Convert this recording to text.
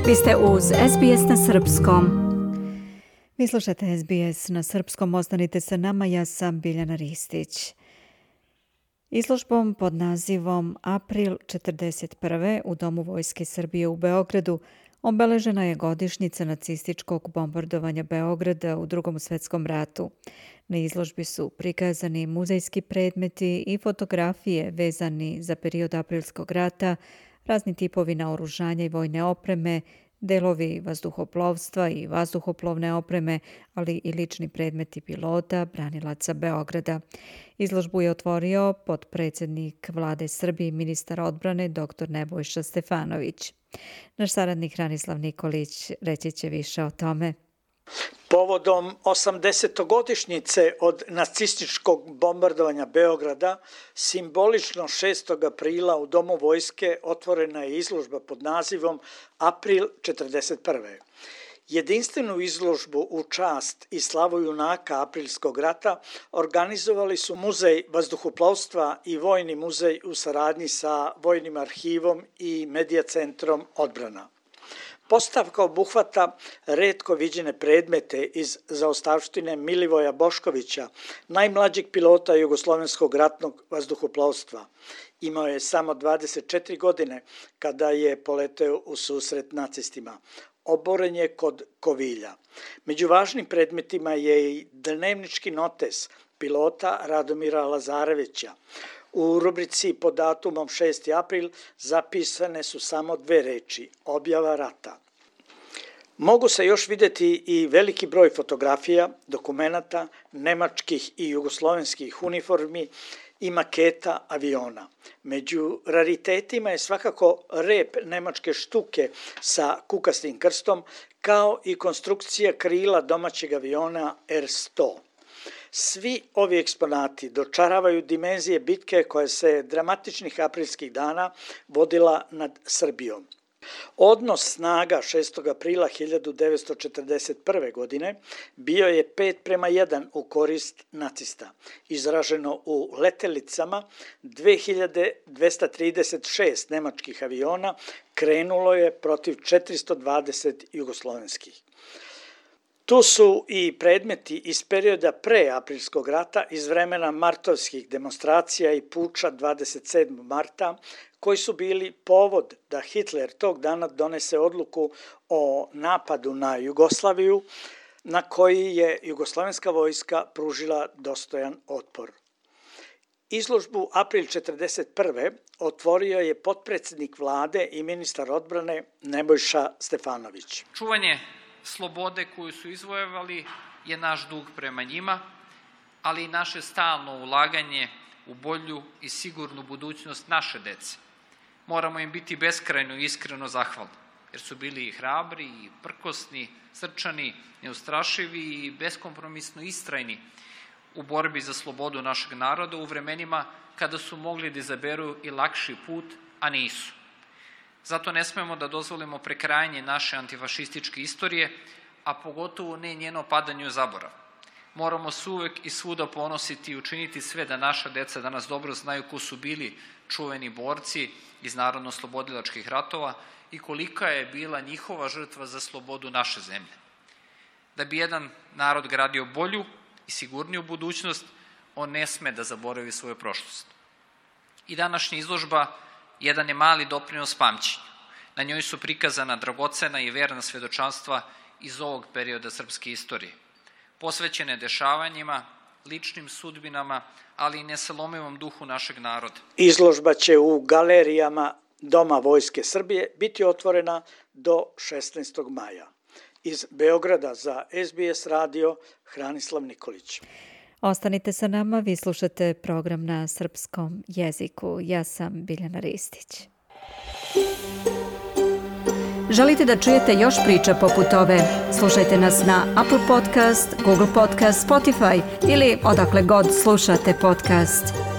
Vi ste uz SBS na srpskom. Vi slušate SBS na srpskom, ostanite sa nama, ja sam Biljana Ristić. Izložbom pod nazivom April 1941. u Domu Vojske Srbije u Beogradu obeležena je godišnjica nacističkog bombardovanja Beograda u Drugom svjetskom ratu. Na izložbi su prikazani muzejski predmeti i fotografije vezani za period aprilskog rata, razni tipovi naoružanja i vojne opreme, delovi vazduhoplovstva i vazduhoplovne opreme, ali i lični predmeti pilota, branilaca Beograda. Izložbu je otvorio potpredsjednik Vlade Srbije i ministar odbrane dr. Nebojša Stefanović. Naš saradnik Hranislav Nikolić reći će više o tome. Povodom 80-godišnjice od nacističkog bombardovanja Beograda, simbolično 6. aprila u Domu vojske otvorena je izložba pod nazivom April 1941. Jedinstvenu izložbu u čast i slavu junaka aprilskog rata organizovali su Muzej vazduhoplovstva i Vojni muzej u saradnji sa Vojnim arhivom i Medija centrom odbrana. Postavka obuhvata retko viđene predmete iz zaostavštine Milivoja Boškovića, najmlađeg pilota jugoslovenskog ratnog vazduhoplovstva. Imao je samo 24 godine kada je poleteo u susret nacistima. Oboren je kod Kovilja. Među važnim predmetima je i dnevnički notes pilota Radomira Lazarevića. U rubrici pod datumom 6. april zapisane su samo 2 reči, objava rata. Mogu se još vidjeti i veliki broj fotografija, dokumenata, nemačkih i jugoslovenskih uniformi i maketa aviona. Među raritetima je svakako rep nemačke štuke sa kukastim krstom, kao i konstrukcija krila domaćeg aviona R-100. Svi ovi eksponati dočaravaju dimenzije bitke koja se dramatičnih aprilskih dana vodila nad Srbijom. Odnos snaga 6. aprila 1941. godine bio je 5:1 u korist nacista. Izraženo u letelicama, 2236 nemačkih aviona krenulo je protiv 420 jugoslovenskih. Tu su i predmeti iz perioda pre aprilskog rata, iz vremena martovskih demonstracija i puča 27. marta, koji su bili povod da Hitler tog dana donese odluku o napadu na Jugoslaviju, na koji je jugoslovenska vojska pružila dostojan otpor. Izložbu April 1941. otvorio je potpredsjednik Vlade i ministar odbrane Nebojša Stefanović. Čuvanje slobode koju su izvojevali je naš dug prema njima, ali i naše stalno ulaganje u bolju i sigurnu budućnost naše dece. Moramo im biti beskrajno i iskreno zahvalni, jer su bili i hrabri, i prkosni, srčani, neustrašivi i beskompromisno istrajni u borbi za slobodu našeg naroda u vremenima kada su mogli da izaberu i lakši put, a nisu. Zato ne smemo da dozvolimo prekrajanje naše antifašističke istorije, a pogotovo ne njeno padanje u zaborav. Moramo se uvek i svuda ponositi i učiniti sve da naša deca danas dobro znaju ko su bili čuveni borci iz narodno-slobodilačkih ratova i kolika je bila njihova žrtva za slobodu naše zemlje. Da bi jedan narod gradio bolju i sigurniju budućnost, on ne sme da zaboravi svoju prošlost. I današnja izložba jedan je mali doprinos pamćenju. Na njoj su prikazana dragocena i verna svedočanstva iz ovog perioda srpske istorije, posvećene dešavanjima, ličnim sudbinama, ali i nesalomivom duhu našeg naroda. Izložba će u galerijama Doma Vojske Srbije biti otvorena do 16. maja. Iz Beograda za SBS radio Hranislav Nikolić. Ostanite sa nama, vi slušate program na srpskom jeziku. Ja sam Biljana Ristić. Želite da čujete još priča poput ove? Slušajte nas na Apple Podcast, Google Podcast, Spotify ili odakle god slušate podcast.